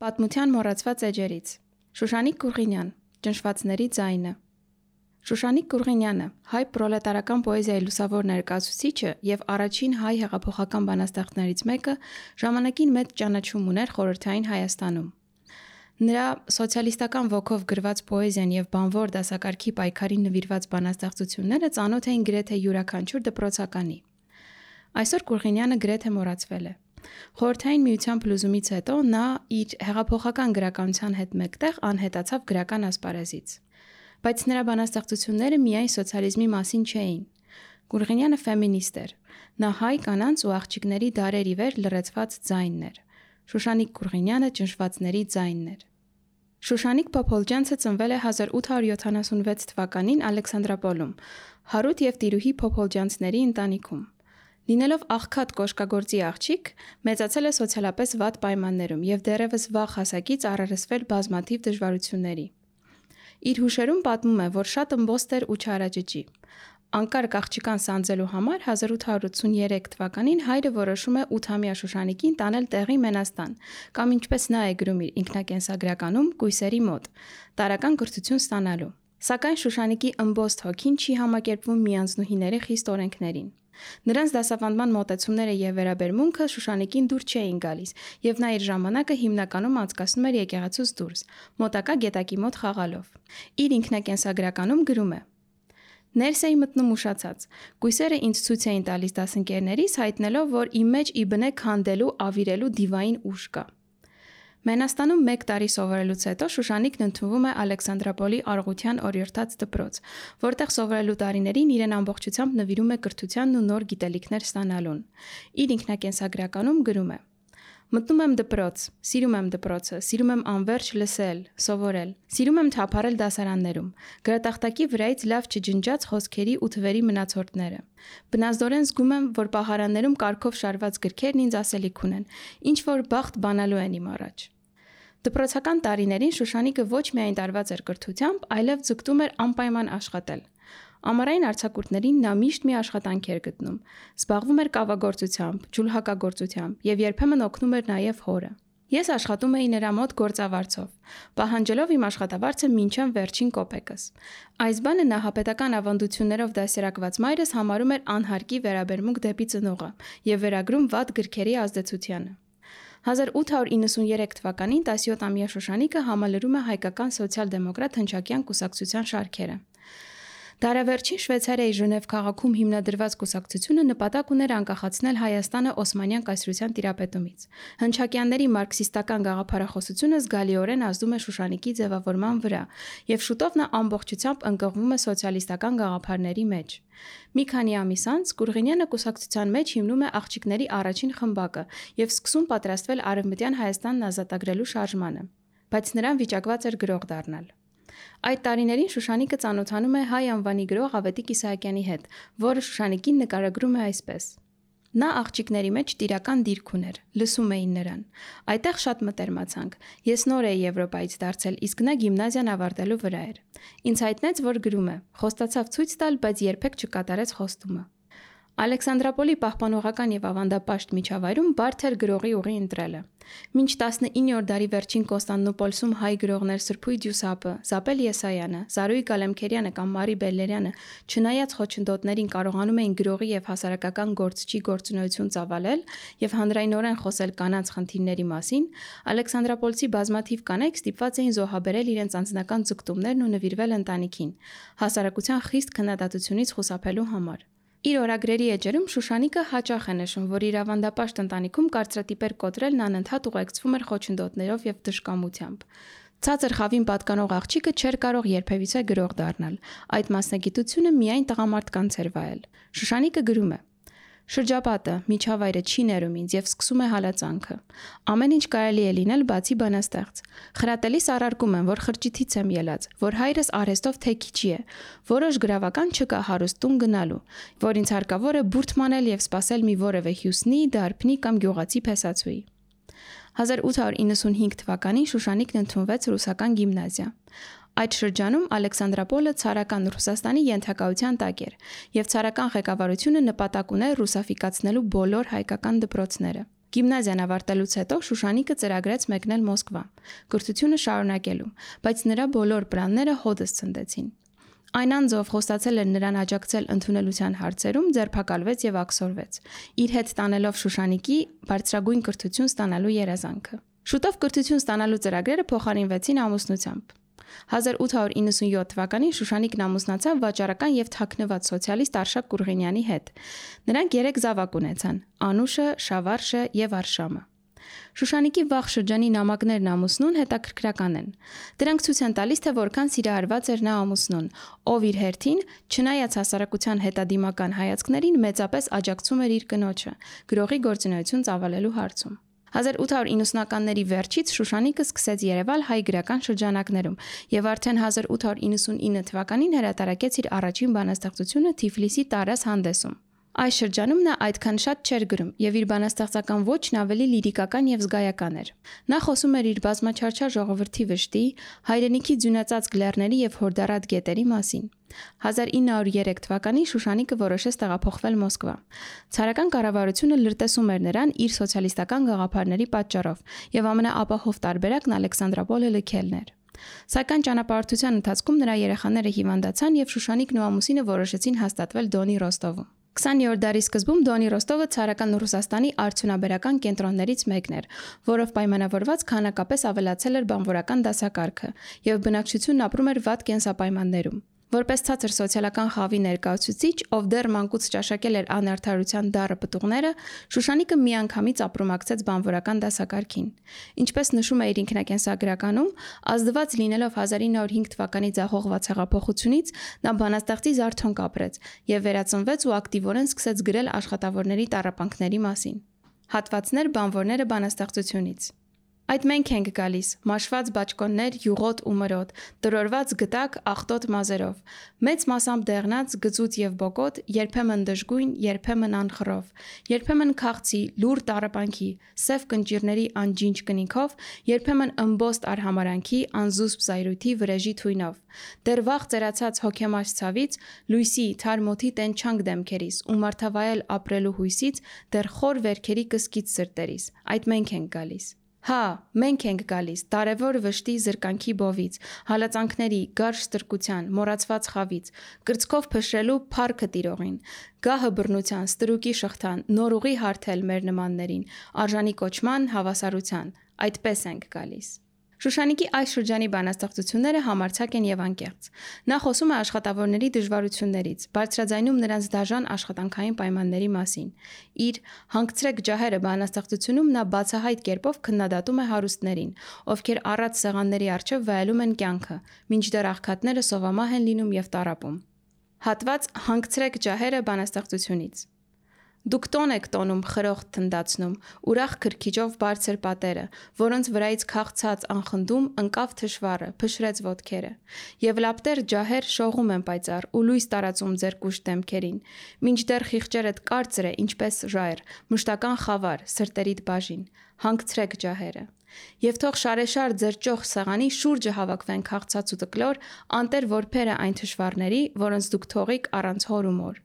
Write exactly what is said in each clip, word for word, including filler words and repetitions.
Պատմության մոռացված էջերից Շուշանիկ Գուրգինյան Ճնշվածների ձայնը Շուշանիկ Գուրգինյանը հայ պրոլետարական պոեզիայի լուսավոր ներկայացուցիչը եւ առաջին հայ հեղափոխական բանաստեղծներից մեկը ժամանակին մեծ ճանաչում ուներ խորհրդային Հայաստանում։ Նրա սոցիալիստական ոգով գրված պոեզիան եւ բանվոր դասակարգի պայքարին նվիրված բանաստեղծությունները ծանոթ էին գրեթե յուրաքանչյուր դպրոցականի։ Այսօր Գուրգինյանը գրեթե մոռացվել է։ Խորհրդային միության փլուզումից հետո նա իր հեղափոխական գրականության հետ մեկտեղ անհետացավ գրական ասպարեզից։ Բայց նրա բանաստեղծությունները միայն սոցիալիզմի մասին չէին։ Գուրգինյանը ֆեմինիստ էր։ Նա հայ կանանց ու աղջիկների դարեր ի վեր լռեցված ձայնն էր։ Շուշանիկ Գուրգինյանը ճնշվածների ձայնն էր։ Շուշանիկ Փոփոլջյանցը ծնվել է հազար ութ հարյուր յոթանասունվեց թվականին Ալեքսանդրապոլում, Հարութ եւ Տիրուհի Փոփոլջյանցների ընտանիքում։ Լինելով աղքատ կոշկագործի աղջիկ, մեծացել է սոցիալապես վատ պայմաններում եւ դեռևս վաղ հասակից առերեսվել բազմաթիվ դժվարությունների։ Իր հուշերում պատմում է, որ շատ ըմբոստ էր ու չարաճճի։ Անկարգ աղջկան սանձելու համար հազար ութ հարյուր ութսուներեք թվականին հայրը որոշում է ութամյա Շուշանիկին տանել տեղի Մենաստան, կամ ինչպես նա է գրում իր ինքնակենսագրականում, կույսերի մոտ, տարրական կրթություն ստանալու։ Սակայն Շուշանիկի ըմբոստ հոգին չի համակերպվում միանձնուհիների խիստ օրենքներին։ Նրանց դասավանդման մոտեցումները եւ վերաբերմունքը Շուշանիկին դուր չէին գալիս, եւ նա իր ժամանակը հիմնականում անցկացնում էր եկեղեցուց դուրս, մոտակա գետակի մոտ խաղալով։ Իր ինքնակենսագրականում գրում է. Ներս էի մտնում ուշացած։ Կույսերը ինձ ցույց էին տալիս դասընկերներիս, հայտնելով, որ իմ մեջ ի բնե քանդելու, ավիրելու դիվային ուժ կա։ Մենաստանում մեկ տարի սովորելուց հետո Շուշանիկն ընդունվում է Ալեքսանդրապոլի Արղության օրիորդաց դպրոց, որտեղ սովորելու տարիներին իրեն ամբողջությամբ նվիրում է կրթությանն ու նոր գիտելիքներ ստանալուն։ Իր ինքնակենսագրականում գրում է. Մտնում եմ դպրոց, սիրում եմ դպրոցը, սիրում եմ անverջ լսել, սովորել, սիրում եմ թափառել դասարաններում, գրատախտակի վրայից լավ չջնջած խոսքերի ու թվերի մնացորդները։ Բնազդորեն զգում եմ, որ պահարաններում կարգով շարված գրքերն ինձ ասելիք ունեն, ինչ որ բախտ բանալու են իմ առաջ։ Դպրոցական տարիներին Շուշանիկը ոչ միայն տարված էր կրթությամբ, այլև ձգտում էր անպայման աշխատել։ Ամառային արձակուրդներին նա միշտ մի աշխատանք էր գտնում, զբաղվում էր կավագործությամբ, ջուլհակագործությամբ եւ երբեմն օգնում էր նաեւ հորը։ Ես աշխատում էի նրա մոտ գործավարձով, պահանջելով իմ աշխատավարձը մինչև վերջին կոպեկս։ Այս բանը նահապետական ավանդություններով դասերակված մայրս համարում էր անհարկի վերաբերմունք դեպի ծնողը եւ վերագրում վատ գրքերի ազդեցությանը։ հազար ութ հարյուր իննսուներեք թվականին տասնյոթամյա Շուշանիկը համալրում է հայկական սոցիալ-դեմոկրատ հնչակյան կուսակցության շարքերը։ Դարավերջին Շվեյցարիայի Ժնև քաղաքում հիմնադրված կուսակցությունը նպատակ ուներ անկախացնել Հայաստանը Օսմանյան կայսրության տիրապետումից։ Հնչակյանների մարքսիստական գաղափարախոսությունը զգալիորեն ազդում է Շուշանիկի ձևավորման վրա, եւ շուտով նա ամբողջությամբ ընկղվում է սոցիալիստական գաղափարների մեջ։ Մի քանի ամիս անց Գուրգինյանը կուսակցության մեջ հիմնում է աղջիկների առաջին խմբակը եւ սկսում պատրաստվել Արևմտյան Հայաստանն ազատագրելու շարժմանը, բայց նրան վիճակված էր գրող դառնալ։ Այդ տարիներին Շուշանիկը ծանոթանում է հայ անվանի գրող Ավետիք Իսահակյանի հետ, որը Շուշանիկին նկարագրում է այսպես. Նա աղջիկների մեջ տիրական դիրք ուներ, լսում էին նրան։ Այդտեղ շատ մտերմացանք։ Ես նոր էի Եվրոպայից դարձել, իսկ նա գիմնազիան ավարտելու վրա էր։ Ինձ հայտնեց, որ գրում է, խոստացավ ցույց տալ, բայց երբեք չկատարեց խոստումը։ Ալեքսանդրապոլի պահպանողական եւ ավանդապաշտ միջավայրում բարդ էր գրողի ուղի ընտրելը։ Մինչ տասնիններորդ դարի վերջին Կոնստանդնուպոլսում հայ գրողներ Սրբույթ Յուսապը, Զապել Եսայանը, Զարուհի Գալեմքերյանը կամ Մարի Բելլերյանը, չնայած խոչընդոտներին կարողանում էին գրողի եւ հասարակական գործչի գործունեություն ծավալել եւ հանրայնորեն խոսել կանանց խնդիրների մասին, Ալեքսանդրապոլցի բազմաթիվ կանայք ստիպված էին զոհաբերել իրենց անձնական ձգտումներն ու նվիրվել ընտանիքին, հասարակության խիստ քննադատությունից խուսափելու համար։ Իր օրագրերի էջերում Շուշանիկը հաճախ է նշում, որ իր ավանդապաշտ ընտանիքում կարծրատիպեր կոտրելն անընդհատ ուղեկցվում էր խոչընդոտներով եւ դժկամությամբ։ Ցածր խավին պատկանող աղջիկը չէր կարող երբևիցե գրող դառնալ։ Այդ մասնագիտությունը միայն տղամարդկանց էր վայել։ Շուշանիկը գրում է. Շրջապատը, միջավայրը չի ներում ինձ եւ սկսում է հալածանքը։ Ամեն ինչ կարելի է լինել բացի բանաստեղծ։ Խրատելիս առարկում եմ, որ խրճիթից եմ ելած, որ հայրս արհեստով թեքիչի է, որոշ գրավական չկա հարուստ տուն գնալու, որ ինձ հարկավոր է բուրդ մանել եւ սпасել մի որևէ հյուսնի, դարբնի կամ գյուղացի փեսացուի։ հազար ութ հարյուր իննսունհինգ թվականին Շուշանիկն ընդունվեց ռուսական գիմնազիա։ Այդ շրջանում Ալեքսանդրապոլը ցարական Ռուսաստանի ենթակայության տակ էր, եւ ցարական ղեկավարությունը նպատակ ուներ ռուսաֆիկացնելու բոլոր հայկական դպրոցները։ Գիմնազիան ավարտելուց հետո Շուշանիկը ծրագրեց մեկնել Մոսկվա, կրթությունը շարունակելու, բայց նրա բոլոր պլանները հօդս ցնդեցին։ Այն անձով խոստացել էր նրան աջակցել ընդունելության հարցերում, ձերբակալվեց եւ աքսորվեց, իր հետ տանելով Շուշանիկի բարձրագույն կրթություն ստանալու երազանքը։ Շուտով կրթություն ստանալու ծրագրերը փոխարինվեցին ամուսնությամբ։ հազար ութ հարյուր իննսունյոթ թվականին Շուշանիկն ամուսնացավ վաճառական եւ թաքնված սոցիալիստ Արշակ Կուրղինյանի հետ։ Նրանք երեք զավակ ունեցան՝ Անուշը, Շավարշը եւ Արշամը։ Շուշանիկի վաղ շրջանի նամակներն ամուսնուն հետաքրքրական են։ Դրանք ցույց են տալիս, թե որքան սիրահարված էր նա ամուսնուն, ով իր հերթին, չնայած հասարակության հետադիմական հայացքներին, մեծապես աջակցում էր իր կնոջը գրողի գործունեություն ծավալելու հարցում։ հազար ութ հարյուր իննսունականների վերջից Շուշանիկը սկսեց երևալ հայ գրական շրջանակներում եւ արդեն հազար ութ հարյուր իննսունինը թվականին հրատարակեց իր առաջին բանաստեղծությունը Թիֆլիսի Տարաս հանդեսում։ Այս շրջանում նա այդքան շատ չէր գրում եւ իր բանաստեղծական ոճն ավելի լիրիկական եւ զգայական էր։ Նա խոսում էր իր բազմաչարչար ժողովրդի վշտի, հայրենիքի ձյունածածկ լեռների եւ հորդառատ գետերի մասին։ հազար ինը հարյուր երեք թվականին Շուշանիկը որոշեց տեղափոխվել Մոսկվա։ Ցարական կառավարությունը լրտեսում էր նրան իր սոցիալիստական գաղափարների պատճառով եւ ամենաապահով տարբերակն Ալեքսանդրապոլը լքելն էր։ Սակայն ճանապարհորդության ընթացքում նրա երեխաները հիվանդացան եւ Շուշանիկն ու ամուսինը որոշեցին հաստատվել Դոնի Ռոստովում։ քսաներորդ դարի սկզբում Դոնի Ռոստովը ցարական Ռուսաստանի արդյունաբերական կենտրոններից մեկն էր, որով պայմանավորված քանակապես ավելացել էր բանվորական դասակարգը եւ բնակչությունն ապրում էր վատ կենսապայմաններում։ Որպես ցածր սոցիալական խավի ներկայացուցիչ, ով դեռ մանկուց ճաշակել էր անարդարության դառը պտուղները, Շուշանիկը միանգամից ապրումակցեց բանվորական դասակարգին։ Ինչպես նշում է իր ինքնակենսագրականում, ազդված լինելով հազար ինը հարյուր հինգ թվականի ձախողված հեղափոխությունից, նա բանաստեղծի զարթոնք ապրեց եւ վերածնվեց ու ակտիվորեն սկսեց գրել աշխատավորների տառապանքների մասին։ Հատվածներ բանվորները բանաստեղծությունից։ Այդ մենք ենք գալիս, մաշված բաճկոններ յուղոտ ու մրոտ, տրորված գտակ աղտոտ մազերով, մեծ մասամբ դեղնած, գծուծ եւ բոկոտ, երբեմն դժգույն, երբեմն անխռով, երբեմն քաղցի, լուր տառապանքի, սև կնճիրների անջինջ կնիքով, երբեմն ըմբոստ արհամարանքի, անզուսպ զայրույթի վրեժի թույնով, դեռ վաղ ծերացած հոգեմաշ ցավից, լույսի, թարմոթի տենչանք դեմքերիս ու մարդավայել ապրելու հույսից, դեռ խոր վերքերի կսկիծ սրտերիս, այդ մենք ենք գալիս։ Հա, մենք ենք գալիս, տարևոր վշտի զրկանքի բովից, հալածանքների, գարշ ստրկության, մոռացված խավից, կրծքով փշրելու փառքը տիրողին, գահը բռնության, ստրուկի շղթան, նոր ուղի հարթել մեր նմաններին, արժանի կոչման, հավասարության, այդպես ենք գալիս։ Շուշանիկի այս շրջանի բանաստեղծությունները համարձակ են եւ անկեղծ։ Նա խոսում է աշխատավորների դժվարություններից, բարձրաձայնում նրանց դաժան աշխատանքային պայմանների մասին։ Իր «Հանգցրեք ջահերը» բանաստեղծությունում նա բացահայտ կերպով քննադատում է հարուստներին, ովքեր առատ սեղանների առջև վայելում են կյանքը, մինչդեռ աղքատները սովամահ են լինում եւ տառապում։ Հատված «Հանգցրեք ջահերը» բանաստեղծությունից։ Դուք տոն եք տոնում խրոխտ թնդացնում, ուրախ քրքիջով բարձր պատերը, որոնց վրայից քաղցած անխնդում ընկավ թշվառը, փշրեց ոտքերը, եւ լապտեր ջահեր շողում են պայծառ ու լույս տարածում ձեր կուշտ դեմքերին, մինչդեռ խիղճերդ կարծր է ինչպես ժայռ, մշտական խավար, սրտերիդ բաժին, հանգցրեք ջահերը։ Եվ թող շարեշար ձեր ճոխ սեղանի շուրջը հավաքվեն քաղցած ու տկլոր, անտեր որբերը այն թշվառների, որոնց դուք թողիք առանց հոր ու մոր։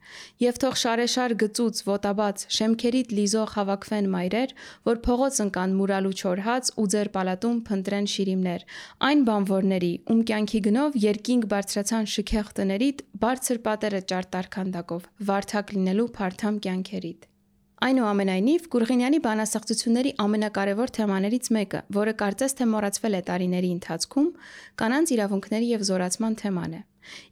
Եվ թող շարեշար գծուծ, ոտաբաց, շեմքերիդ լիզող հավաքվեն մայրեր, որ փողոց ընկան մուրալու չոր հաց ու ձեր պալատում փնտրեն շիրիմներ, այն բանվորների, ում կյանքի գնով երկինք բարձրացան շքեղ տներիդ, բարձր պատերը ճարտար քանդակով, վարդակ լինելու փարթամ կյանքերիդ։ Այնուամենայնիվ, Կուրղինյանի բանաստեղծությունների ամենակարևոր թեմաներից մեկը, որը կարծես թե մոռացվել է տարիների ընթացքում, կանանց իրավունքների եւ զորացման թեման է։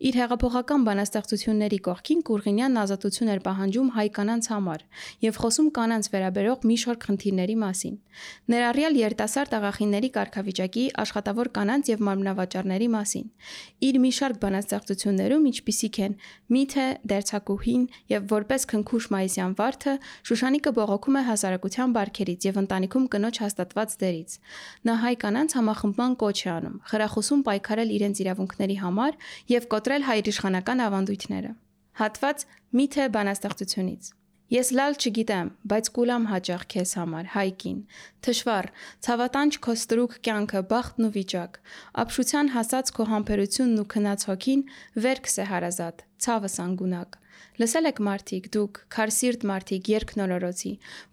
Իր հեղափոխական բանաստեղծությունների կողքին Կուրղինյանն ազատություն էր պահանջում հայ կանանց համար եւ խոսում կանանց վերաբերող մի շարք խնդիրների մասին։ Ներառյալ երիտասարդ աղախինների կարգավիճակի, աշխատավոր կանանց եւ մարմնավաճառների մասին։ Իր մի շարք բանաստեղծություններում, ինչպիսիք են «Միթե», «Դերձակուհին» եւ «Որպես քնքուշ մայիսյան վարդը», Շուշանիկը բողոքում է հասարակության բարքերից եւ ընտանիքում կնոջ հաստատված դերից։ Նա հայ կանանց համախմբման կոչ է անում, խրախուսում պայքարել իրենց իրավունքների համար եւ կոտրել հայրիշխանական ավանդույթները։ Հատված «Միթե» բանաստեղծությունից։ Ես լալ չգիտեմ, բայց կուլամ հաճախ քեզ համար, հայկին, թշվառ, ցավատանչ քո ստրուկ կյանքը, բախտն ու վիճակ, ապշության հասած քո համբերությունն ու քնած հոգին, վերքս է հարազատ, ցավս անգունակ։ Լսել եք մարդիկ, դուք, քարսիրտ մարդիկ, երգնորորոցի,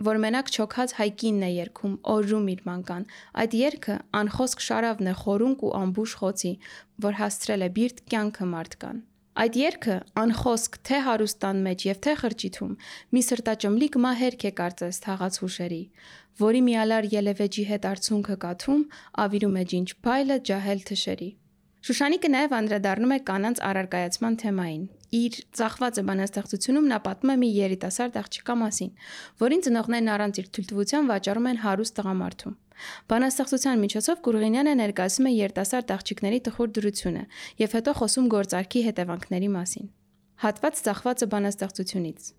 որ մենակ չոքած հայկինն է երգում, օրրում իր մանկան, այդ երգը անխոսք շարավն է խորունկ ու ամբուշ խոցի, որ հասցրել է բիրտ կյանքը մարդկան։ Այդ երգը անխոսք թե հարուստան մեջ եւ թե խրճիթում մի սրտաճմլիկ մահերք է կարծես թաղած հուշերի, որի միալար ելևեջի հետ արցունքը կաթում, ավիրում է ջինջ փայլը ջահել թշերի։ Շուշանիկը նաև անդրադառնում է կանանց առարկայացման թեմային։ Իր ծախվածը բանաստեղծությունում նա պատմում է մի երիտասարդ աղջկա մասին, որին ծնողներն առանց իր թույլտվության վաճառում են հարուստ տղամարդու։ Բանաստեղծության միջոցով Կուրղինյանը ներկայացնում է երիտասարդ աղջիկների տխուր դրությունը եւ հետո խոսում գործարքի հետևանքների մասին։ Հատված ծախվածը բանաստեղծությունից։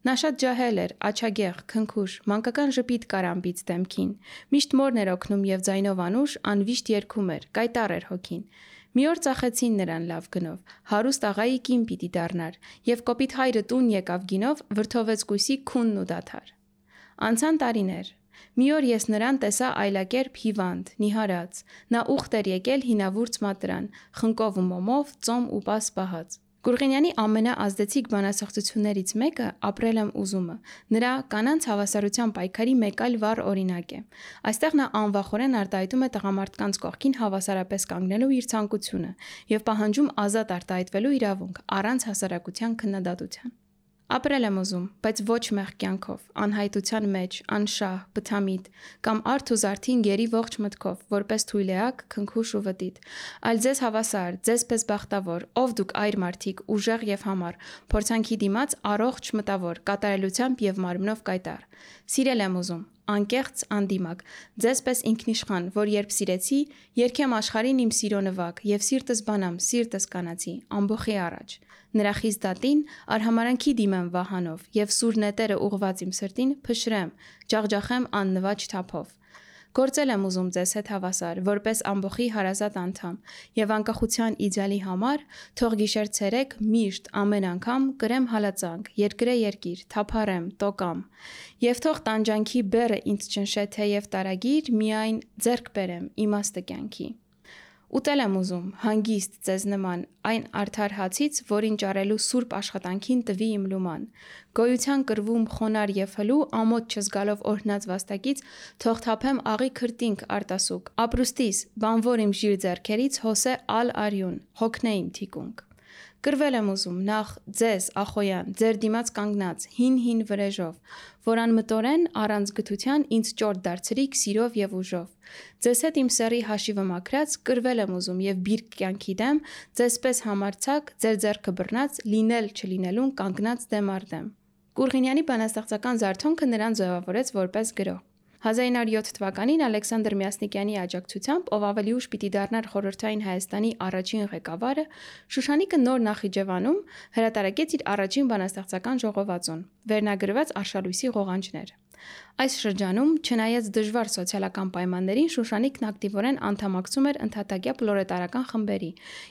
Նա շատ ջահել էր, աչագեղ, քնքուշ, մանկական ժպիտ կար ամբից դեմքին։ Միշտ մորն էր օգնում եւ ձայնով անուշ անվիշտ երգում էր, կայտառ էր հոգին։ Մի օր ծախեցին նրան լավ գնով, հարուստ աղայի կին պիտի դառնար, եւ կոպիտ հայրը տուն եկավ գինով, վրդովեց կույսի քունն ու դադար։ Անցան տարիներ։ Մի օր ես նրան տեսա այլակերպ հիվանդ, նիհարած։ Նա ուխտ էր եկել հինավուրց մատրան, խնկով ու մոմով, ծոմ ու պաս պահած։ Կուրղինյանի ամենաազդեցիկ բանաստեղծություններից մեկը «Ապրել եմ ուզումը» նրա կանանց հավասարության պայքարի մեկ այլ վառ օրինակ է։ Այստեղ նա անվախորեն արտահայտում է տղամարդկանց կողքին հավասարապես կանգնելու իր ցանկությունը եւ պահանջում ազատ արտահայտվելու իրավունք առանց հասարակության քննադատության։ Ապրել եմ ուզում, բայց ոչ մեղ կյանքով, անհայտության մեջ, անշահ, բթամիտ, կամ արդ ու զարդին գերի ողջ մտքով, որպես թույլեակ, քնքուշ ու վտիտ, այլ ձեզ հավասար, ձեզ պես բախտավոր, ով դուք այր մարդիկ, ուժեղ եւ համառ, փորձանքի դիմաց առողջ մտավոր, կատարելությամբ եւ մարմնով կայտառ։ Սիրել եմ ուզում, անկեղծ, անդիմակ, ձեզ պես ինքնիշխան, որ երբ սիրեցի, երգեմ աշխարհին իմ սիրո նվագ եւ սիրտս բանամ, սիրտս կանացի, ամբոխի առաջ։ Նրա խիստ դատին արհամարանքի դիմեմ վահանով եւ սուր նետերը ուղված իմ սրտին փշրեմ, ջախջախեմ աննվաճ թափով։ Գործել եմ ուզում ձեզ հետ հավասար, որպես ամբոխի հարազատ անդամ, եւ անկախության իդեալի համար թող գիշեր ցերեկ միշտ ամեն անգամ կրեմ հալածանք, երկրե երկիր, թափառեմ, տոկամ, եւ թող տանջանքի բեռը ինձ ճնշե թեև տարագիր, միայն ձեռք բերեմ իմաստը կյանքի։ Ուտել եմ ուզում, հանգիստ ձեզ նման, այն արդար հացից, որին ճարելու սուրբ աշխատանքին տվի իմ լուման։ Գոյության կրվում խոնար եւ հլու, ամոթ չզգալով օրհնած վաստակից, թող թափեմ աղի քրտինք արտասուկ, ապրուստիս, բանվոր իմ ժիր ձեռքերից, հոսե ալ արյուն, հոգնե իմ թիկունք։ Կրվել եմ ուզում, նախ ձեզ, Ախոյան, ձեր դիմաց կանգնած, հին-հին վրեժով, որ անմտորեն առանց գթության ինձ ճորտ դարձրիք սիրով եւ ուժով։ Ձեզ հետ իմ սեռի հաշիվը մաքրած, կրվել եմ ուզում եւ բիրք կյանքի դեմ, ձեզպես համարցակ, ձեր ձեռքը բռնած, լինել չլինելուն կանգնած դեմ առ դեմ։ Կուրղինյանի բանաստեղծական զարթոնքը նրան ձևավորեց որպես գրող։ հազար ինը հարյուր յոթ թվականին Ալեքսանդր Մյասնիկյանի աջակցությամբ, ով ավելի ուշ պիտի դառնար խորհրդային Հայաստանի առաջին ղեկավարը, Շուշանիկը նոր Նախիջևանում հրատարակեց իր առաջին բանաստեղծական ժողովածուն, վերնագրված Արշալույսի ղողանջներ։ Այս շրջանում, չնայած դժվար սոցիալական պայմաններին, Շուշանիկն ակտիվորեն անդամակցում էր ընդհատակյա պլորետարական խմբերի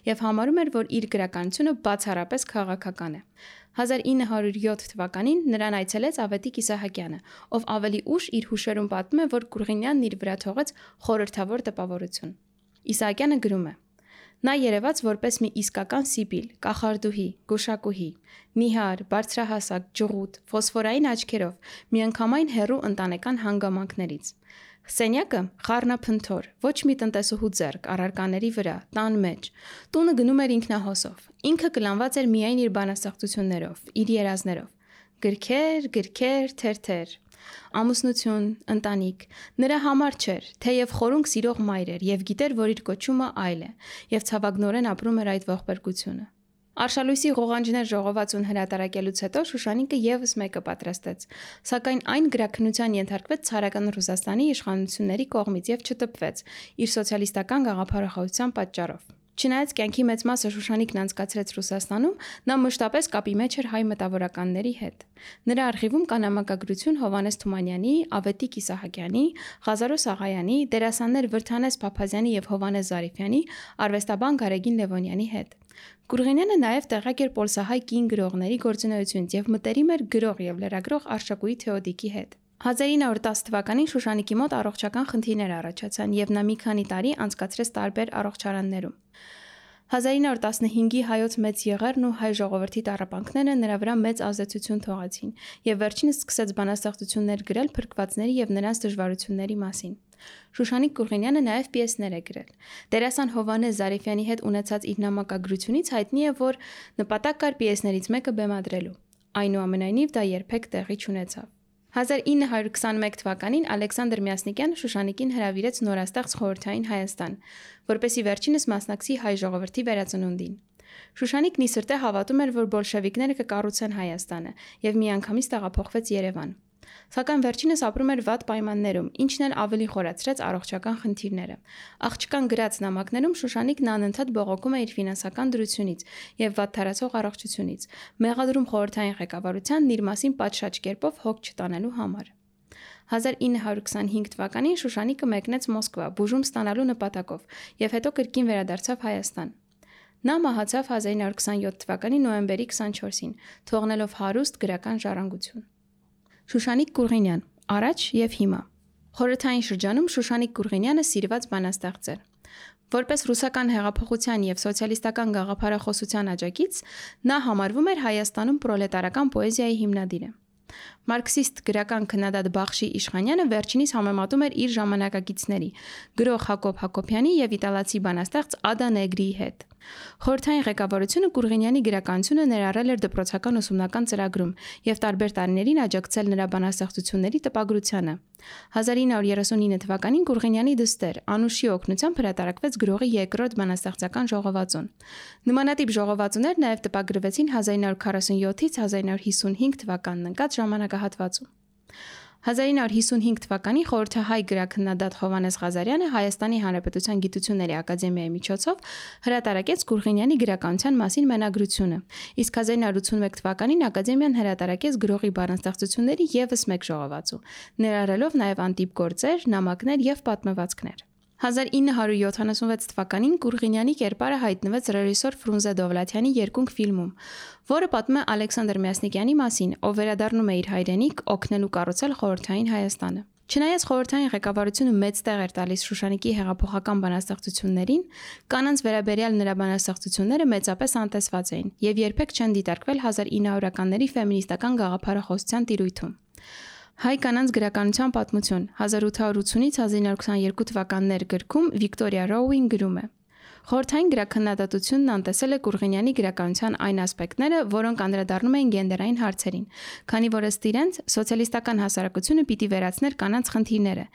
եւ համարում էր, որ իր գրականությունը բացառապես քաղաքական է։ հազար ինը հարյուր յոթ թվականին նրան այցելեց Ավետիք Իսահակյանը, ով ավելի ուշ իր հուշերում պատմում է, որ Կուրղինյանն իր վրա թողեց խորհրդավոր տպավորություն։ Իսահակյանը գրում է. Նա երևաց որպես մի իսկական սիբիլ, կախարդուհի, գուշակուհի, նիհար, բարձրահասակ, ջղուտ, ֆոսֆորային աչքերով, միանգամայն հեռու ընտանեկան հանգամանքներից։ Սենյակը խառնափնթոր, ոչ մի տնտեսուհու ձեռք, առարկաների վրա, տան մեջ։ Տունը գնում էր ինքնահոսով։ Ինքը կլանված էր միայն իր բանաստեղծություններով, իր երազներով։ Գրքեր, գրքեր, թերթեր։ Ամուսնություն, ընտանիք, նրա համար չէր, թեև խորունկ սիրող մայր էր եւ գիտեր, որ իր կոչումը այլ է, եւ ցավագնորեն ապրում էր այդ ողբերգությունը։ Արշալույսի ղողանջներ ժողովածուն հրատարակելուց հետո Շուշանիկը եւս մեկը պատրաստեց, սակայն այն գրաքննության ենթարկվեց ցարական Ռուսաստանի իշխանությունների կողմից եւ չտպվեց իր սոցիալիստական գաղափարախոսության պատճառով։ Չնայած կյանքի մեծ մասը Շուշանիկն անցկացրեց Ռուսաստանում, նա մշտապես կապի մեջ էր հայ մտավորականների հետ։ Նրա արխիվում կա նամակագրություն Հովհաննես Թումանյանի, Ավետիք Իսահակյանի, Ղազարոս Աղայանի, դերասաններ Վրդանես Փափազյանի եւ Հովհաննես Զարիֆյանի, արվեստաբան Գարեգին Լևոնյանի հետ։ Կուրղինյանը նաև տեղակ էր պոլսահայ կին գրողների գործունեությունից և մտերիմ էր գրող և լրագրող Արշակույի Թեոդիկի հետ։ հազար ինը հարյուր տասը թվականին Շուշանիկի մոտ առողջական խնդիրներ առաջացան և նա մի քանի տարի անցկացրեց տարբեր առողջարաններում։ հազար ինը հարյուր տասնհինգի հայոց մեծ եղեռն ու հայ ժողովրդի տառապանքները նրա վրա մեծ ազդեցություն թողեցին և վերջինս սկսեց բանաստեղծություններ գրել փրկվածների և նրանց դժվարությունների մասին։ Շուշանիկ Կուրղինյանը նաև պիեսներ է գրել։ Դերասան Հովհաննես Զարեֆյանի հետ ունեցած իր նամակագրությունից հայտնի է, որ նպատակ կար պիեսներից մեկը բեմադրելու։ Այնուամենայնիվ դա երբեք տեղի չունեցավ։ հազար ինը հարյուր քսանմեկ թվականին Ալեքսանդր Մյասնիկյանը Շուշանիկին հրավիրեց նորաստեղծ Խորհրդային Հայաստան, որպեսզի վերջինս մասնակցի հայ ժողովրդի վերածնունդին։ Շուշանիկն ի սրտե հավատում էր, որ բոլշևիկները կկառուցեն Հայաստանը և միանգամից տեղափոխվեց Երևան։ Սակայն վերջինս ապրում էր վատ պայմաններում, ինչն էլ ավելի խորացրեց առողջական խնդիրները։ Աղջկան գրած նամակներում Շուշանիկն անընդհատ բողոքում է իր ֆինանսական դրությունից և վատթարացող առողջությունից, մեղադրում խորհրդային ղեկավարությանն իր մասին պատշաճ կերպով հոգ չտանելու համար։ հազար ինը հարյուր քսանհինգ թվականին Շուշանիկը մեկնեց Մոսկվա բուժում ստանալու նպատակով և հետո կրկին վերադարձավ Հայաստան։ Նա մահացավ հազար ինը հարյուր քսանյոթ թվականի նոյեմբերի քսանչորսին, թողնելով հարուստ գրական ժառանգություն։ Շուշանիկ Կուրղինյան, առաջ և հիմա։ Խորհրդային շրջանում Շուշանիկ Կուրղինյանը սիրված բանաստեղծ էր։ Որպես ռուսական հեղափոխության և սոցիալիստական գաղափարախոսության աջակից, նա համարվում էր Հայաստանում պրոլետարական պոեզիայի հիմնադիրը։ Մարքսիստ գրական քննադատ Բախշի Իշխանյանը վերջինիս համեմատում էր իր ժամանակակիցների՝ գրող Հակոբ Հակոբյանի և իտալացի բանաստեղծ Ադա Նեգրիի հետ։ Խորհրդային ղեկավարությունը Կուրղինյանի գրականությունը ներառել էր դպրոցական ուսումնական ծրագրում և տարբեր տարիներին աջակցել նրա բանաստեղծությունների տպագրությանը։ հազար ինը հարյուր երեսունինը թվականին Կուրղինյանի դստեր Անուշի օգնությամբ հրատարակվեց գրողի երկրորդ բանաստեղծական ժողովածուն։ Նմանատիպ ժողովածուներ նաև տպագրվեցին հազար ինը հարյուր քառասունյոթից հազար ինը հարյուր հիսունհինգ թվականն ընկած ժամանակահատվածում։ հազար ինը հարյուր հիսունհինգ թվականին խորհրդահայ գրաքննադատ Հովհաննես Ղազարյանը Հայաստանի Հանրապետության Գիտությունների ակադեմիայի միջոցով հրատարակեց Կուրղինյանի գրականության մասին մենագրությունը, իսկ հազար ինը հարյուր ութսունմեկ թվականին ակադեմիան հրատարակեց գրողի բանաստեղծությունների ևս մեկ ժողովածու, ներառելով նաև անտիպ գործեր, նամակներ և պատմվածքներ։ հազար ինը հարյուր յոթանասունվեց թվականին Կուրղինյանի կերպարը հայտնվեց ռեժիսոր Ֆրունզե Դովլաթյանի երկունք ֆիլմում, որը պատմում է Ալեքսանդր Մյասնիկյանի մասին, ով վերադառնում է իր հայրենիք օգնելու կառուցել խորհրդային Հայաստանը։ Չնայած խորհրդային ղեկավարությունը մեծ տեղ էր տալիս Շուշանիկի հեղափոխական բանաստեղծություններին, կանանց վերաբերյալ նրա բանաստեղծությունները մեծապես անտեսված էին և երբեք չեն դիտարկվել հազար ինը հարյուրականների ֆեմինիստական գաղափարախոսության տիրույթում։ Հայ կանանց գրականության պատմություն հազար ութ հարյուր ութսունից հազար ինը հարյուր քսաներկու թվականներ գրքում Վիկտորիա Ռոուին գրում է. Խորհրդային գրաքննադատությունն անտեսել է Կուրղինյանի գրականության այն ասպեկտները, որոնք անդրադառնում էին գենդերային հարցերին, քանի որ ըստ իրենց սոցիալիստական հասարակությունը պիտի վերացներ կանանց խնդիրները,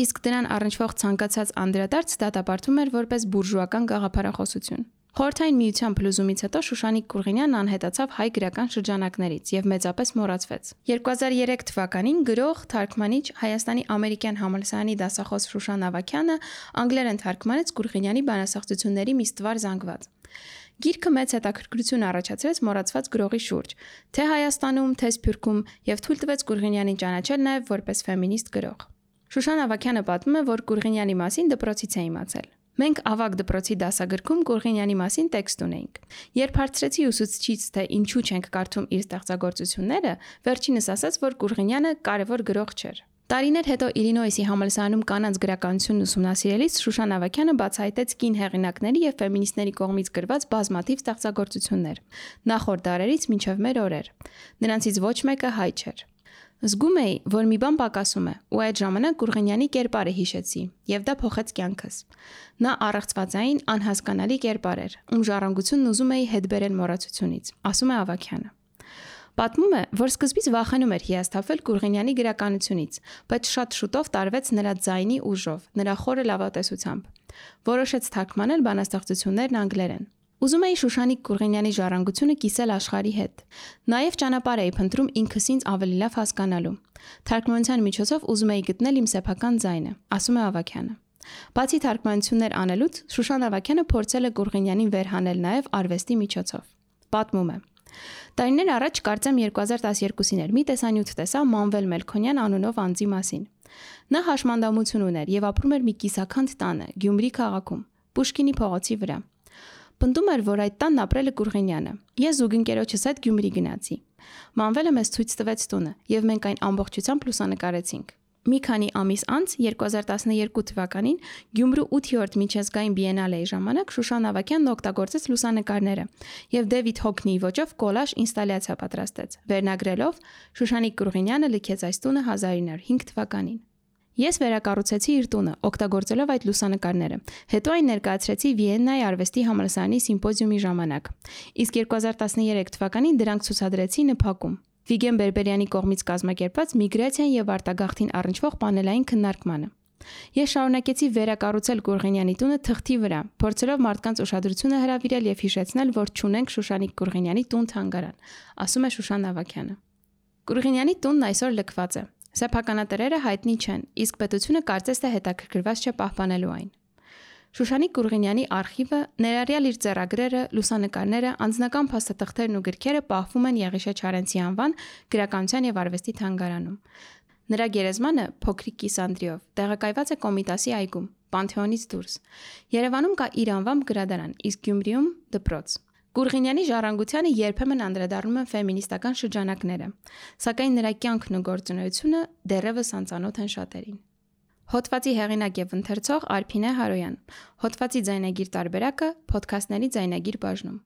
իսկ դրան առնչվող ցանկացած անդրադարձ դատապարտվում էր որպես բուրժուական գաղափարախոսություն։ Խորհրդային միության փլուզումից հետո Շուշանիկ Կուրղինյանն անհետացավ հայ գրական շրջանակներից և մեծապես մոռացվեց։ երկու հազար երեք թվականին գրող, թարգմանիչ, Հայաստանի ամերիկյան համալսարանի դասախոս Շուշան Ավագյանը անգլերեն թարգմանեց Կուրղինյանի բանաստեղծությունների մի ստվար զանգված։ Գիրքը մեծ հետաքրքրություն առաջացրեց մոռացված գրողի շուրջ, թե Հայաստանում, թե Սփյուռքում և թույլ տվեց Կուրղինյանին ճանաչել նաև որպես ֆեմինիստ գրող։ Շուշան Ավագյանը պատմում է, որ Կուրղինյանի մասին դպրոցից է իմացել։ Մենք ավագ դպրոցի դասագրքում Կուրղինյանի մասին տեքստ ունեինք։ Երբ հարցրեցի ուսուցչից, թե ինչու չենք կարդում իր ստեղծագործությունները, վերջինս ասաց, որ Կուրղինյանը կարևոր գրող չէր։ Տարիներ հետո Իլինոյսի համալսարանում կանանց գրականությունն ուսումնասիրելիս Շուշան Ավագյանը բացահայտեց կին հեղինակների և ֆեմինիստների կողմից գրված բազմաթիվ ստեղծագործություններ, նախորդ դարերից մինչև մեր օրեր։ Նրանցից ոչ մեկը հայ չէր։ Զգում էի, որ մի բան պակասում է, ու այդ ժամանակ Կուրղինյանի կերպարը հիշեցի, և դա փոխեց կյանքս։ Նա առեղծվածային, անհասկանալի կերպար էր, ում ժառանգությունն ուզում էի հետ բերել մոռացությունից, ասում է Ավագյանը։ Պատմում է, որ սկզբից վախենում էր հիասթափվել Կուրղինյանի գրականությունից, բայց շատ շուտով տարվեց նրա ձայնի ուժով, նրա խորը լավատեսությամբ։ Որոշեց թարգմանել բանաստեղծություններն անգլերեն։ Ուզում էի Շուշանիկ Կուրղինյանի ժառանգությունը կիսել աշխարհի հետ։ Նաև ճանապարհ էի փնտրում ինքս ինձ ավելի լավ հասկանալու։ Թարգմանության միջոցով ուզում էի գտնել իմ սեփական ձայնը, ասում է Ավագյանը։ Բացի թարգմանություններ անելուց, Շուշան Ավագյանը փորձել է Կուրղինյանին վերհանել նաև արվեստի միջոցով։ Պատմում է. Տարիներ առաջ կարծեմ երկու հազար տասներկուսին էր մի տեսանյութ տեսա Մանվել Մելքոնյան անունով անձի մասին։ Նա հաշմանդամություն ուներ և ապրում էր մի կիսաքանդ տանը Գյումրի քաղաքում, Պուշկինի փողոցի վրա։ Պնդում էր, որ այդ տանն ապրել է Կուրղինյանը։ Ես զուգընկերոջս հետ Գյումրի գնացի։ Մանվելը մեզ ցույց տվեց տունը, եւ մենք այն ամբողջությամբ լուսանկարեցինք։ Մի քանի ամիս անց երկու հազար տասներկու թվականին Գյումրու ութերորդ միջազգային բիենալեի ժամանակ Շուշան Ավագյանն օգտագործեց լուսանկարները եւ Դեվիդ Հոքնիի ոճով կոլաժ ինստալյացիա պատրաստեց, վերնագրելով Շուշանիկ Կուրղինյանը լքեց այս տունը հազար ինը հարյուր հինգ թվականին։ Ես վերակառուցեցի իր տունը, օգտագործելով այդ լուսանկարները։ Հետո այն ներկայացրեցի Վիեննայի արվեստի համալսարանի սիմպոզիումի ժամանակ։ Իսկ երկու հազար տասներեք թվականին դրանք ցուցադրեցի ՆՓԱԿ-ում։ Վիգեն Բերբերյանի կողմից կազմակերպված միգրացիան եւ արտագաղթին առնչվող պանելային քննարկմանը։ Ես շարունակեցի վերակառուցել Կուրղինյանի տունը թղթի վրա, փորձելով մարդկանց ուշադրությունը հրավիրել եւ հիշեցնել, որ չունենք Շուշանիկ Կուրղինյանի տուն-թանգարան, ասում է Շուշան Ավագյանը։ Կուրղինյանի տունն այսօր լքված է։ Սեփականատերերը հայտնի չեն, իսկ պետությունը կարծես թե հետաքրքրված չէ պահպանելու այն։ Շուշանիկ Կուրղինյանի արխիվը, ներառյալ իր ձեռագրերը, լուսանկարները, անձնական փաստաթղթերն ու գրքերը պահվում են Եղիշե Չարենցի անվան գրականության եւ արվեստի թանգարանում։ Նրա գերեզմանը փոքրիկ կիսանդրիով տեղակայված է Կոմիտասի այգում, Պանթեոնից դուրս։ Երևանում կա իր անվամբ գրադարան, իսկ Գյումրիում դպրոց։ Կուրղինյանի ժառանգությանը երբեմն անդրադառնում են ֆեմինիստական շրջանակները, սակայն նրա կյանքն ու գործունեությունը դեռևս անծանոթ են շատերին։ Հոդվածի հեղինակ եւ ընթերցող Արփինե Հարոյան։ Հոդվածի ձայնագիր տարբերակը Փոդքասթների ձայնագիր բաժնում։